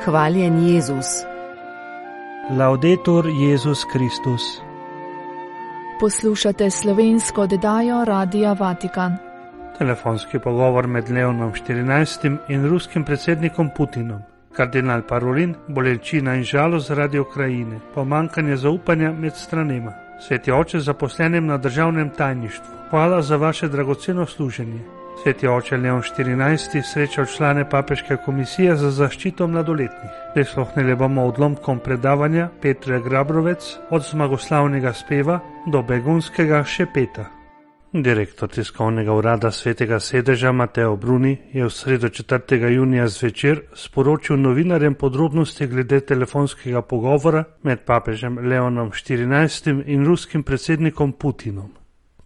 Hvaljen Jezus. Laudetur Jezus Kristus. Poslušate slovensko oddajo Radia Vatikan. Telefonski pogovor med Leonom XIV in ruskim predsednikom Putinom. Kardinal Parolin, bolečina in žalost zaradi Ukrajine, pomanjkanje zaupanja med stranema. Sveti oče zaposlenim na državnem tajništvu, hvala za vaše dragoceno služenje. Sveti oče Leon XIV srečal člane papeške komisije za zaščito mladoletnih. Prisluhnili bomo odlomkom predavanja Petre Grabrovec od zmagoslavnega speva do begunskega šepeta. Direktor tiskovnega urada Svetega sedeža Mateo Bruni je v sredo 4. junija zvečer sporočil novinarjem podrobnosti glede telefonskega pogovora med papežem Leonom XIV in ruskim predsednikom Putinom.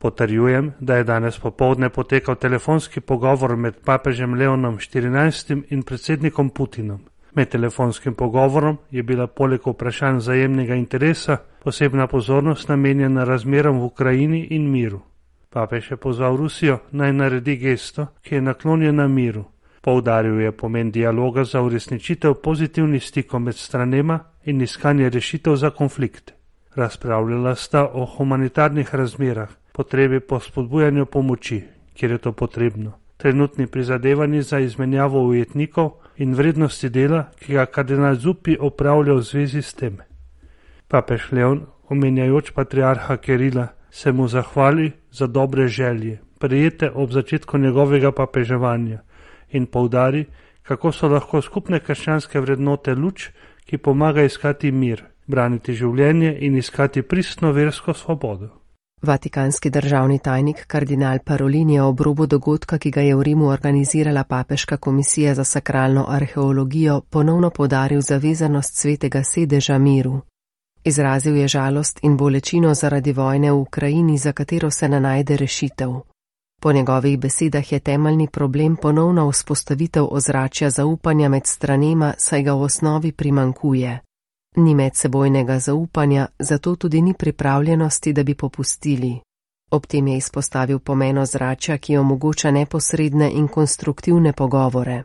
Potrjujem, da je danes popoldne potekal telefonski pogovor med papežem Leonom XIV in predsednikom Putinom. Med telefonskim pogovorom je bila poleg vprašanj vzajemnega interesa posebna pozornost namenjena razmeram v Ukrajini in miru. Papež je pozval Rusijo naj naredi gesto, ki je naklonjena miru. Poudaril je pomen dialoga za uresničitev pozitivnih stikov med stranema in iskanje rešitev za konflikt. Razpravljala sta o humanitarnih razmerah, potrebi po spodbujanju pomoči, kjer je to potrebno, trenutni prizadevanji za izmenjavo ujetnikov in vrednosti dela, ki ga kardinal Zuppi opravlja v zvezi s tem. Papež Leon, omenjajoč patriarha Kirila, se mu zahvali za dobre želje, prejete ob začetku njegovega papeževanja in poudari, kako so lahko skupne krščanske vrednote luč, ki pomaga iskati mir, braniti življenje in iskati pristno versko svobodo. Vatikanski državni tajnik kardinal Parolin je ob robu dogodka, ki ga je v Rimu organizirala papeška komisija za sakralno arheologijo, ponovno poudaril zavezanost Svetega sedeža miru. Izrazil je žalost in bolečino zaradi vojne v Ukrajini, za katero se ne najde rešitev. Po njegovih besedah je temeljni problem ponovna vzpostavitev ozračja zaupanja med stranema, saj ga v osnovi primanjkuje. Ni medsebojnega zaupanja, zato tudi ni pripravljenosti, da bi popustili. Ob tem je izpostavil pomen ozračja, ki omogoča neposredne in konstruktivne pogovore.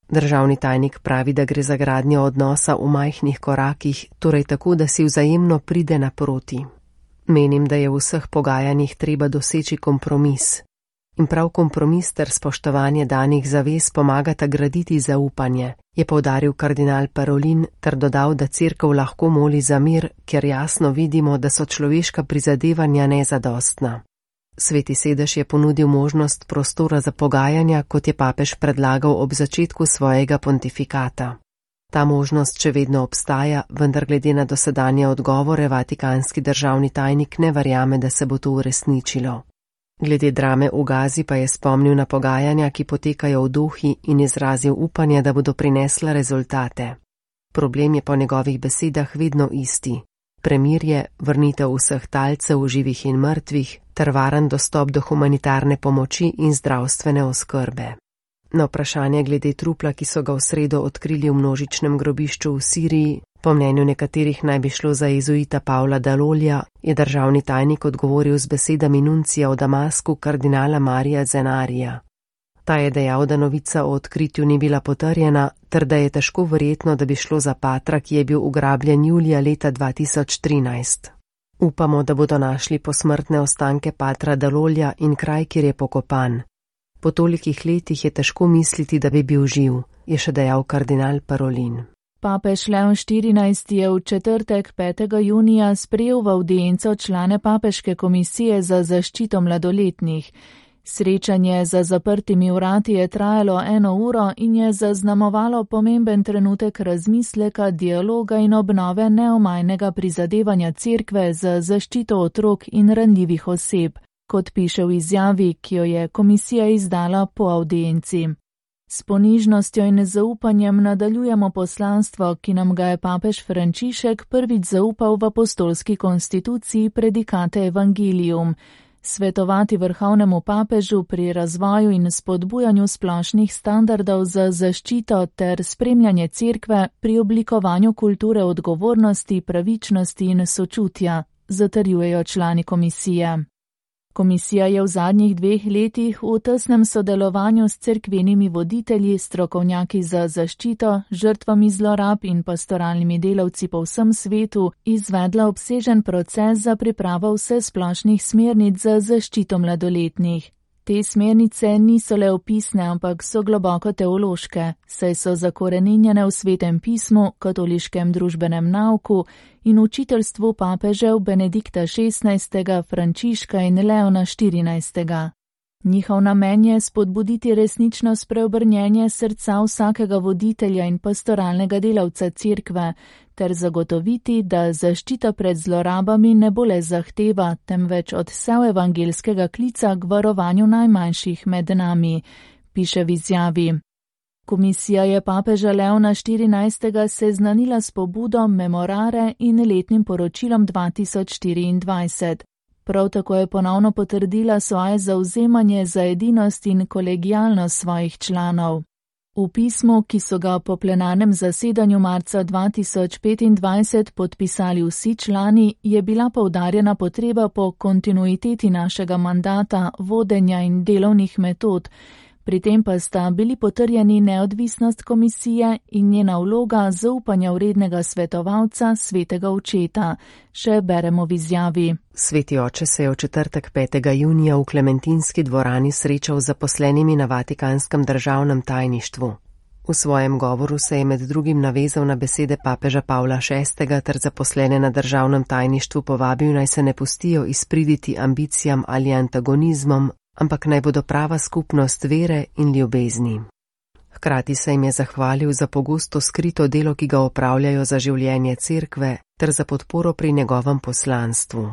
Državni tajnik pravi, da gre za gradnjo odnosa v majhnih korakih, torej tako, da si vzajemno pride naproti. Menim, da je v vseh pogajanjih treba doseči kompromis. In prav kompromis ter spoštovanje danih zavez pomagata graditi zaupanje, je poudaril kardinal Parolin ter dodal, da cerkev lahko moli za mir, ker jasno vidimo, da so človeška prizadevanja nezadostna. Sveti sedež je ponudil možnost prostora za pogajanja, kot je papež predlagal ob začetku svojega pontifikata. Ta možnost še vedno obstaja, vendar glede na dosedanje odgovore vatikanski državni tajnik ne verjame, da se bo to uresničilo. Glede drame v Gazi pa je spomnil na pogajanja, ki potekajo v Dohi in izrazil upanje, da bodo prinesla rezultate. Problem je po njegovih besedah vedno isti. Premirje, vrnitev vseh talcev, živih in mrtvih, ter varen dostop do humanitarne pomoči in zdravstvene oskrbe. Na vprašanje glede trupla, ki so ga v sredo odkrili v množičnem grobišču v Siriji, po mnenju nekaterih naj bi šlo za jezuita Pavla Dalolja, je državni tajnik odgovoril z besedami nuncija v Damasku kardinala Marija Zenarija. Ta je dejal, da novica o odkritju ni bila potrjena, ter da je težko verjetno, da bi šlo za patra, ki je bil ugrabljen julija leta 2013. Upamo, da bodo našli posmrtne ostanke patra Dalolja in kraj, kjer je pokopan. Po tolikih letih je težko misliti, da bi bil živ, je še dejal kardinal Parolin. Papež Leon XIV je v četrtek 5. junija sprejel v avdienco člane papeške komisije za zaščito mladoletnih. Srečanje za zaprtimi vrati je trajalo 1 uro in je zaznamovalo pomemben trenutek razmisleka, dialoga in obnove neomajnega prizadevanja cerkve za zaščito otrok in ranljivih oseb, kot piše v izjavi, ki jo je komisija izdala po avdienci. S ponižnostjo in zaupanjem nadaljujemo poslanstvo, ki nam ga je papež Frančišek prvič zaupal v apostolski konstituciji Predikate Evangelium, svetovati vrhovnemu papežu pri razvoju in spodbujanju splošnih standardov za zaščito ter spremljanje cerkve pri oblikovanju kulture odgovornosti, pravičnosti in sočutja, zatrjujejo člani komisije. Komisija je v zadnjih 2 letih v tesnem sodelovanju s cerkvenimi voditelji, strokovnjaki za zaščito, žrtvami zlorab in pastoralnimi delavci po vsem svetu izvedla obsežen proces za pripravo vsesplošnih smernic za zaščito mladoletnih. Te smernice niso le opisne, ampak so globoko teološke, saj so zakoreninjene v Svetem pismu, katoliškem družbenem nauku in učiteljstvu papežev Benedikta XVI, Frančiška in Leona XIV. Njihov namen je spodbuditi resnično spreobrnjenje srca vsakega voditelja in pastoralnega delavca cerkve, ter zagotoviti, da zaščita pred zlorabami ne bo le zahteva, temveč odsev evangelskega klica k varovanju najmanjših med nami, piše v izjavi. Komisija je papeža Leona XIV seznanila s pobudo Memorare in letnim poročilom 2024. Prav tako je ponovno potrdila svoje zavzemanje za edinost in kolegialnost svojih članov. V pismu, ki so ga po plenarnem zasedanju marca 2025 podpisali vsi člani, je bila poudarjena potreba po kontinuiteti našega mandata, vodenja in delovnih metod. Pri tem pa sta bili potrjeni neodvisnost komisije in njena vloga zaupanja vrednega svetovalca, svetega očeta, še beremo v izjavi. Sveti oče se je v četrtek 5. junija v Klementinski dvorani srečal z zaposlenimi na Vatikanskem državnem tajništvu. V svojem govoru se je med drugim navezal na besede papeža Pavla VI ter zaposlene na državnem tajništvu povabil, naj se ne pustijo izpriditi ambicijam ali antagonizmom, ampak naj bodo prava skupnost vere in ljubezni. Hkrati se jim je zahvalil za pogosto skrito delo, ki ga opravljajo za življenje cerkve, ter za podporo pri njegovem poslanstvu.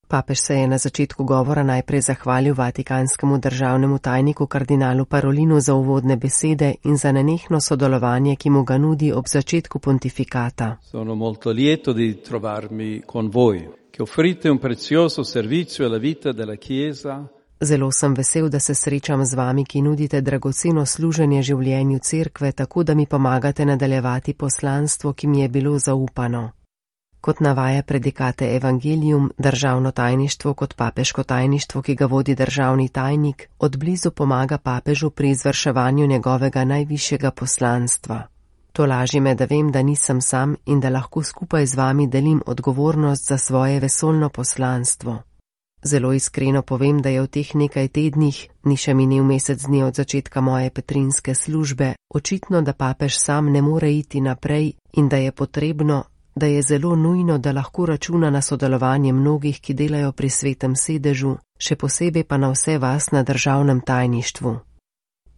Papež se je na začetku govora najprej zahvalil vatikanskemu državnemu tajniku kardinalu Parolinu za uvodne besede in za nenehno sodelovanje, ki mu ga nudi ob začetku pontifikata. Sono molto lieto di trovarmi con voi, che offrite un prezioso servizio alla vita della Chiesa. Zelo sem vesel, da se srečam z vami, ki nudite dragoceno služenje življenju cerkve, tako da mi pomagate nadaljevati poslanstvo, ki mi je bilo zaupano. Kot navaja predikate Evangelium, državno tajništvo kot papeško tajništvo, ki ga vodi državni tajnik, odblizu pomaga papežu pri izvrševanju njegovega najvišjega poslanstva. To laži me, da vem, da nisem sam in da lahko skupaj z vami delim odgovornost za svoje vesoljno poslanstvo. Zelo iskreno povem, da je v teh nekaj tednih, ni še minil mesec dni od začetka moje petrinske službe, očitno, da papež sam ne more iti naprej in da je potrebno, da je zelo nujno, da lahko računa na sodelovanje mnogih, ki delajo pri svetem sedežu, še posebej pa na vse vas na državnem tajništvu.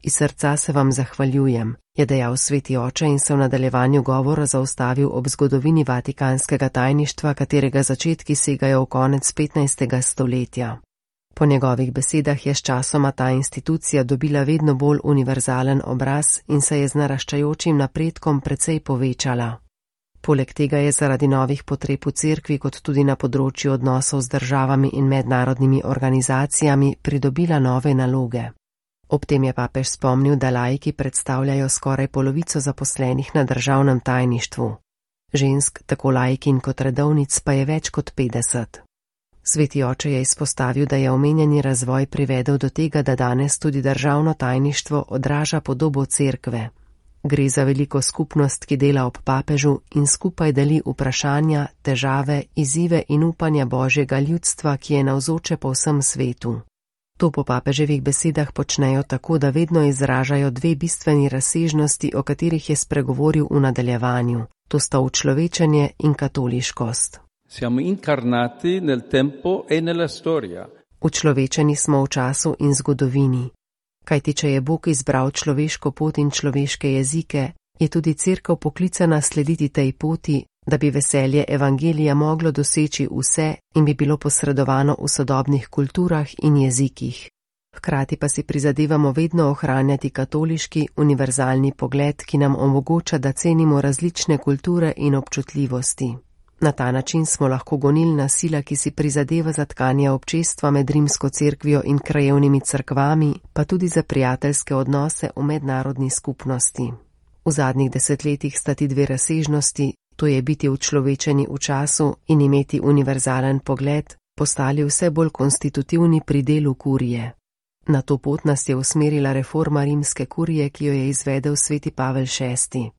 Iz srca se vam zahvaljujem, je dejal sveti oče in se v nadaljevanju govora zaustavil ob zgodovini vatikanskega tajništva, katerega začetki segajo v konec 15. stoletja. Po njegovih besedah je s časoma ta institucija dobila vedno bolj univerzalen obraz in se je z naraščajočim napredkom precej povečala. Poleg tega je zaradi novih potreb v cerkvi kot tudi na področju odnosov z državami in mednarodnimi organizacijami pridobila nove naloge. Ob tem je papež spomnil, da laiki predstavljajo skoraj polovico zaposlenih na državnem tajništvu. Žensk, tako laikin kot redovnic, pa je več kot 50. Sveti oče je izpostavil, da je omenjeni razvoj privedel do tega, da danes tudi državno tajništvo odraža podobo cerkve. Gre za veliko skupnost, ki dela ob papežu in skupaj deli vprašanja, težave, izzive in upanja Božjega ljudstva, ki je navzoče po vsem svetu. To po papeževih besedah počnejo tako, da vedno izražajo dve bistveni razsežnosti, o katerih je spregovoril v nadaljevanju. To sta učlovečenje in katoliškost. Siamo incarnati nel tempo e nella storia. Učlovečeni smo v času in zgodovini. Kajti, če je Bog izbral človeško pot in človeške jezike, je tudi cerkev poklicana slediti tej poti, da bi veselje evangelija moglo doseči vse in bi bilo posredovano v sodobnih kulturah in jezikih. Hkrati pa si prizadevamo vedno ohranjati katoliški, univerzalni pogled, ki nam omogoča, da cenimo različne kulture in občutljivosti. Na ta način smo lahko gonilna sila, ki si prizadeva za tkanje občestva med rimsko cerkvijo in krajevnimi cerkvami, pa tudi za prijateljske odnose v mednarodni skupnosti. V zadnjih desetletjih sta ti dve razsežnosti, to je biti učlovečeni v času in imeti univerzalen pogled, postali vse bolj konstitutivni pri delu kurije. Na to pot nas je usmerila reforma rimske kurije, ki jo je izvedel sveti Pavel VI.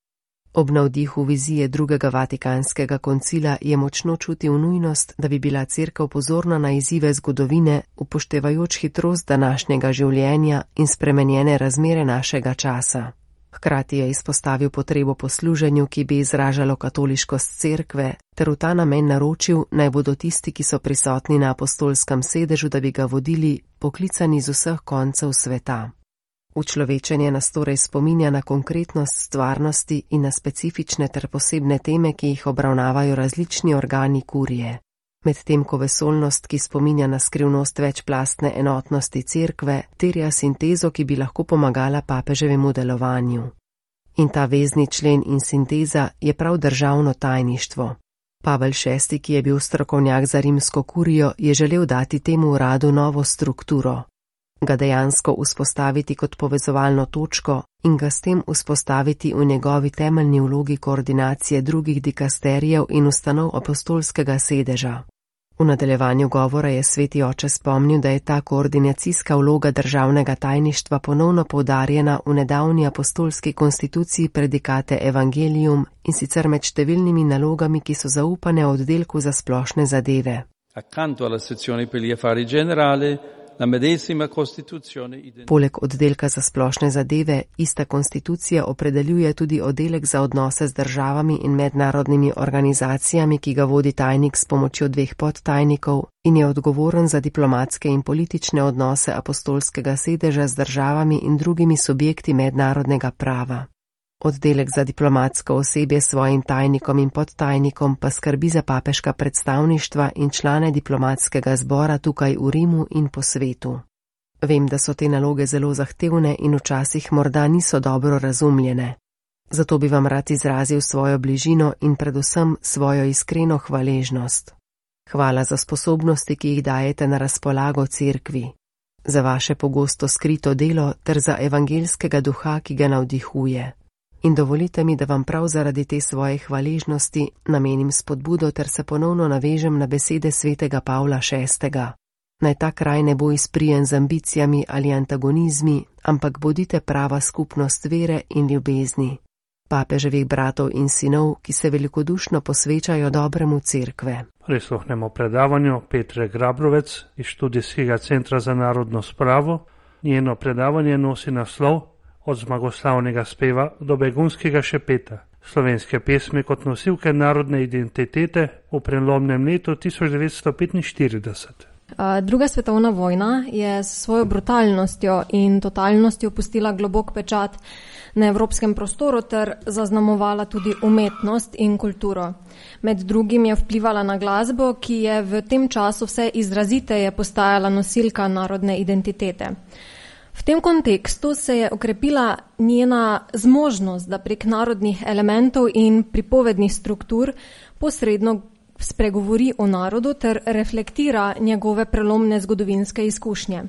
Ob navdihu vizije drugega vatikanskega koncila je močno čutil nujnost, da bi bila cerkev pozorna na izzive zgodovine, upoštevajoč hitrost današnjega življenja in spremenjene razmere našega časa. Hkrati je izpostavil potrebo po služenju, ki bi izražalo katoliškost cerkve, ter v ta namen naročil, naj bodo tisti, ki so prisotni na apostolskem sedežu, da bi ga vodili, poklicani z vseh koncev sveta. Učlovečenje nas torej spominja na konkretnost stvarnosti in na specifične ter posebne teme, ki jih obravnavajo različni organi kurije. Medtem ko vesoljnost, ki spominja na skrivnost večplastne enotnosti cerkve, terja sintezo, ki bi lahko pomagala papeževemu delovanju. In ta vezni člen in sinteza je prav državno tajništvo. Pavel VI, ki je bil strokovnjak za rimsko kurijo, je želel dati temu uradu novo strukturo, ga dejansko vzpostaviti kot povezovalno točko in ga s tem vzpostaviti v njegovi temeljni vlogi koordinacije drugih dikasterijev in ustanov apostolskega sedeža. V nadaljevanju govora je sveti oče spomnil, da je ta koordinacijska vloga državnega tajništva ponovno poudarjena v nedavni apostolski konstituciji predikate Evangelium in sicer med številnimi nalogami, ki so zaupane oddelku za splošne zadeve. Accanto alla sezione per gli affari generali, la medesima Costituzione. Poleg oddelka za splošne zadeve, ista konstitucija opredeljuje tudi oddelek za odnose z državami in mednarodnimi organizacijami, ki ga vodi tajnik s pomočjo 2 podtajnikov in je odgovoren za diplomatske in politične odnose apostolskega sedeža z državami in drugimi subjekti mednarodnega prava. Oddelek za diplomatsko osebje s svojim tajnikom in podtajnikom pa skrbi za papeška predstavništva in člane diplomatskega zbora tukaj v Rimu in po svetu. Vem, da so te naloge zelo zahtevne in včasih morda niso dobro razumljene. Zato bi vam rad izrazil svojo bližino in predvsem svojo iskreno hvaležnost. Hvala za sposobnosti, ki jih dajete na razpolago cerkvi, za vaše pogosto skrito delo ter za evangeljskega duha, ki ga navdihuje. In dovolite mi, da vam prav zaradi te svoje hvaležnosti namenim spodbudo ter se ponovno navežem na besede svetega Pavla VI. Naj ta kraj ne bo izprijen z ambicijami ali antagonizmi, ampak bodite prava skupnost vere in ljubezni, papeževih bratov in sinov, ki se velikodušno posvečajo dobremu cerkve. Prisluhnemo predavanju Petre Grabrovec iz Študijskega centra za narodno spravo. Njeno predavanje nosi naslov Od zmagoslavnega speva do begunskega šepeta, slovenske pesmi kot nosilke narodne identitete v prelomnem letu 1945. Druga svetovna vojna je s svojo brutalnostjo in totalnostjo pustila globok pečat na evropskem prostoru ter zaznamovala tudi umetnost in kulturo. Med drugim je vplivala na glasbo, ki je v tem času vse izraziteje postajala nosilka narodne identitete. V tem kontekstu se je okrepila njena zmožnost, da prek narodnih elementov in pripovednih struktur posredno spregovori o narodu ter reflektira njegove prelomne zgodovinske izkušnje.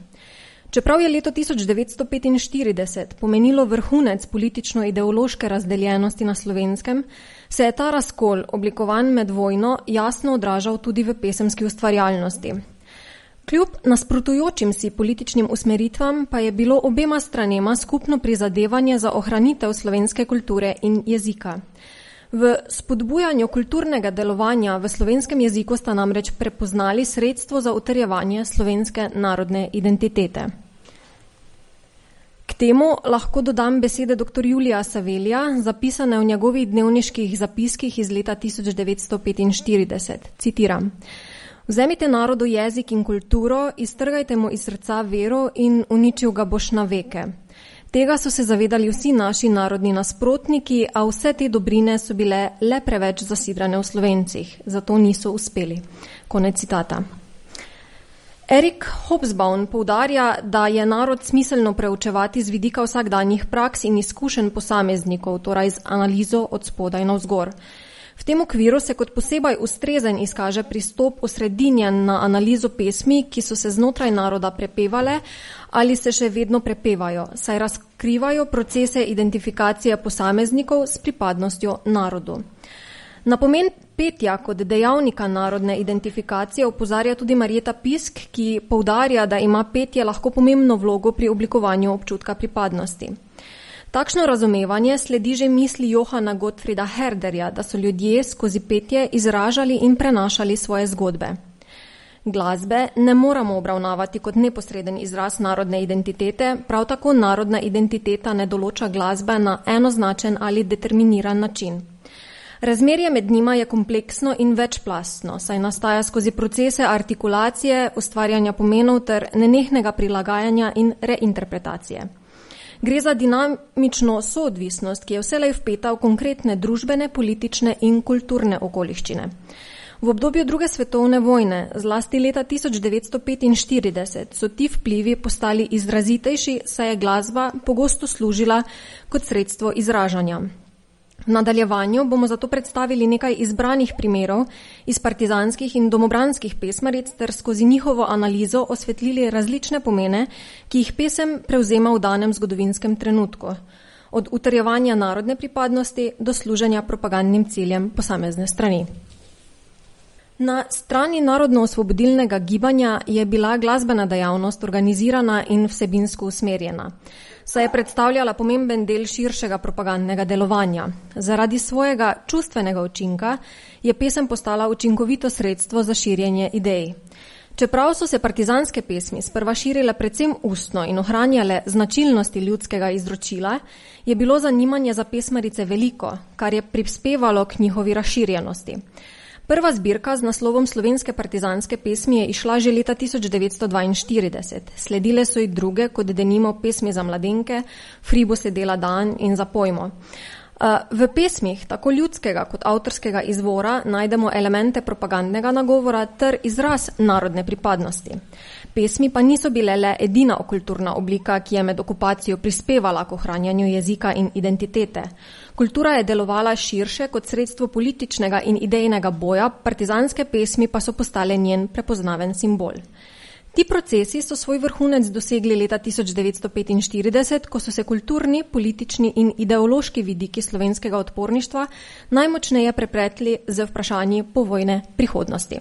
Čeprav je leto 1945 pomenilo vrhunec politično-ideološke razdeljenosti na Slovenskem, se je ta razkol, oblikovan med vojno, jasno odražal tudi v pesemski ustvarjalnosti. Kljub nasprotujočim si političnim usmeritvam pa je bilo obema stranema skupno prizadevanje za ohranitev slovenske kulture in jezika. V spodbujanju kulturnega delovanja v slovenskem jeziku sta namreč prepoznali sredstvo za utrjevanje slovenske narodne identitete. K temu lahko dodam besede dr. Julija Savelija, zapisane v njegovih dnevniških zapiskih iz leta 1945. Citiram: Vzemite narodu jezik in kulturo, iztrgajte mu iz srca vero in uničil ga boš na veke. Tega so se zavedali vsi naši narodni nasprotniki, a vse te dobrine so bile le preveč zasidrane v Slovencih, zato niso uspeli. Konec citata. Erik Hobsbawm poudarja, da je narod smiselno preučevati z vidika vsakdanjih praks in izkušenj posameznikov, torej z analizo od spodaj navzgor. V tem okviru se kot posebej ustrezen izkaže pristop osredinjen na analizo pesmi, ki so se znotraj naroda prepevale ali se še vedno prepevajo, saj razkrivajo procese identifikacije posameznikov s pripadnostjo narodu. Na pomen petja kot dejavnika narodne identifikacije opozarja tudi Marjeta Pisk, ki poudarja, da ima petje lahko pomembno vlogo pri oblikovanju občutka pripadnosti. Takšno razumevanje sledi že misli Johana Gottfrieda Herderja, da so ljudje skozi petje izražali in prenašali svoje zgodbe. Glasbe ne moramo obravnavati kot neposreden izraz narodne identitete, prav tako narodna identiteta ne določa glasbe na enoznačen ali determiniran način. Razmerje med njima je kompleksno in večplastno, saj nastaja skozi procese artikulacije, ustvarjanja pomenov ter nenehnega prilagajanja in reinterpretacije. Gre za dinamično soodvisnost, ki je vselej vpeta v konkretne družbene, politične in kulturne okoliščine. V obdobju druge svetovne vojne, zlasti leta 1945, so ti vplivi postali izrazitejši, saj je glasba pogosto služila kot sredstvo izražanja. V nadaljevanju bomo zato predstavili nekaj izbranih primerov iz partizanskih in domobranskih pesmaric ter skozi njihovo analizo osvetlili različne pomene, ki jih pesem prevzema v danem zgodovinskem trenutku, od utrjevanja narodne pripadnosti do služenja propagandnim ciljem posamezne strani. Na strani narodno-osvobodilnega gibanja je bila glasbena dejavnost organizirana in vsebinsko usmerjena, saj je predstavljala pomemben del širšega propagandnega delovanja. Zaradi svojega čustvenega učinka je pesem postala učinkovito sredstvo za širjenje idej. Čeprav so se partizanske pesmi sprva širile predvsem ustno in ohranjale značilnosti ljudskega izročila, je bilo zanimanje za pesmarice veliko, kar je prispevalo k njihovi razširjenosti. Prva zbirka z naslovom Slovenske partizanske pesmi je išla že leta 1942. Sledile so jih druge, kot denimo Pesmi za mladenke, Fribo se dela dan in Za pojmo. V pesmih tako ljudskega kot avtorskega izvora najdemo elemente propagandnega nagovora ter izraz narodne pripadnosti. Pesmi pa niso bile le edina kulturna oblika, ki je med okupacijo prispevala k ohranjanju jezika in identitete. Kultura je delovala širše kot sredstvo političnega in idejnega boja, partizanske pesmi pa so postale njen prepoznaven simbol. Ti procesi so svoj vrhunec dosegli leta 1945, ko so se kulturni, politični in ideološki vidiki slovenskega odporništva najmočneje prepletli z vprašanji povojne prihodnosti.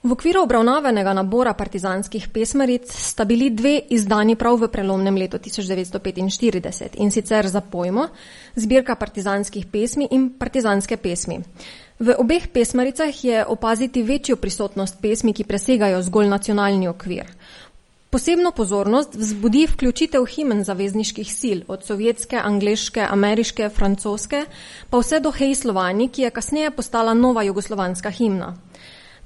V okviru obravnavanega nabora partizanskih pesmaric sta bili dve izdani prav v prelomnem letu 1945, in sicer Za pojmo, zbirka partizanskih pesmi in partizanske pesmi. V obeh pesmaricah je opaziti večjo prisotnost pesmi, ki presegajo zgolj nacionalni okvir. Posebno pozornost vzbudi vključitev himen zavezniških sil, od sovjetske, angleške, ameriške, francoske, pa vse do Hej Slovani, ki je kasneje postala nova jugoslovanska himna.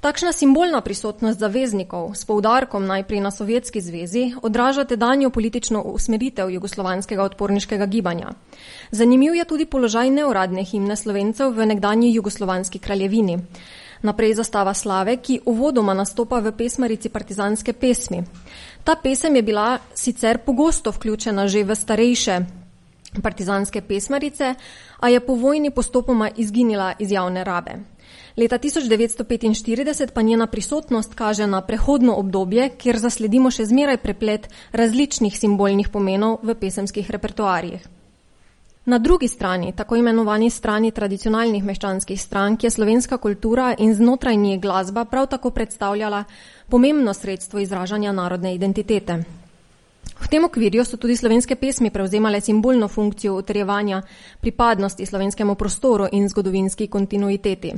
Takšna simbolna prisotnost zaveznikov s poudarkom najprej na Sovjetski zvezi odraža tedanjo politično usmeritev jugoslovanskega odporniškega gibanja. Zanimiv je tudi položaj neuradne himne Slovencev v nekdanji jugoslovanski kraljevini. Naprej Zastava slave, ki uvodoma nastopa v pesmarici partizanske pesmi. Ta pesem je bila sicer pogosto vključena že v starejše partizanske pesmarice, a je po vojni postopoma izginila iz javne rabe. Leta 1945 pa njena prisotnost kaže na prehodno obdobje, kjer zasledimo še zmeraj preplet različnih simbolnih pomenov v pesemskih repertoarjih. Na drugi strani, tako imenovani strani tradicionalnih meščanskih strank, je slovenska kultura in znotraj nje glasba prav tako predstavljala pomembno sredstvo izražanja narodne identitete. V tem okvirju so tudi slovenske pesmi prevzemale simbolno funkcijo utrjevanja pripadnosti slovenskemu prostoru in zgodovinski kontinuiteti.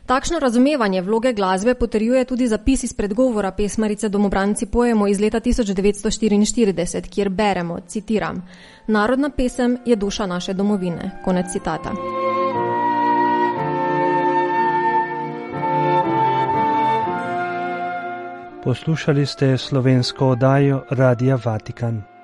Takšno razumevanje vloge glasbe potrjuje tudi zapis iz predgovora pesmarice Domobranci pojemo iz leta 1944, kjer beremo, citiram, "Narodna pesem je duša naše domovine." Konec citata. Poslušali ste slovensko oddajo Radia Vatikan.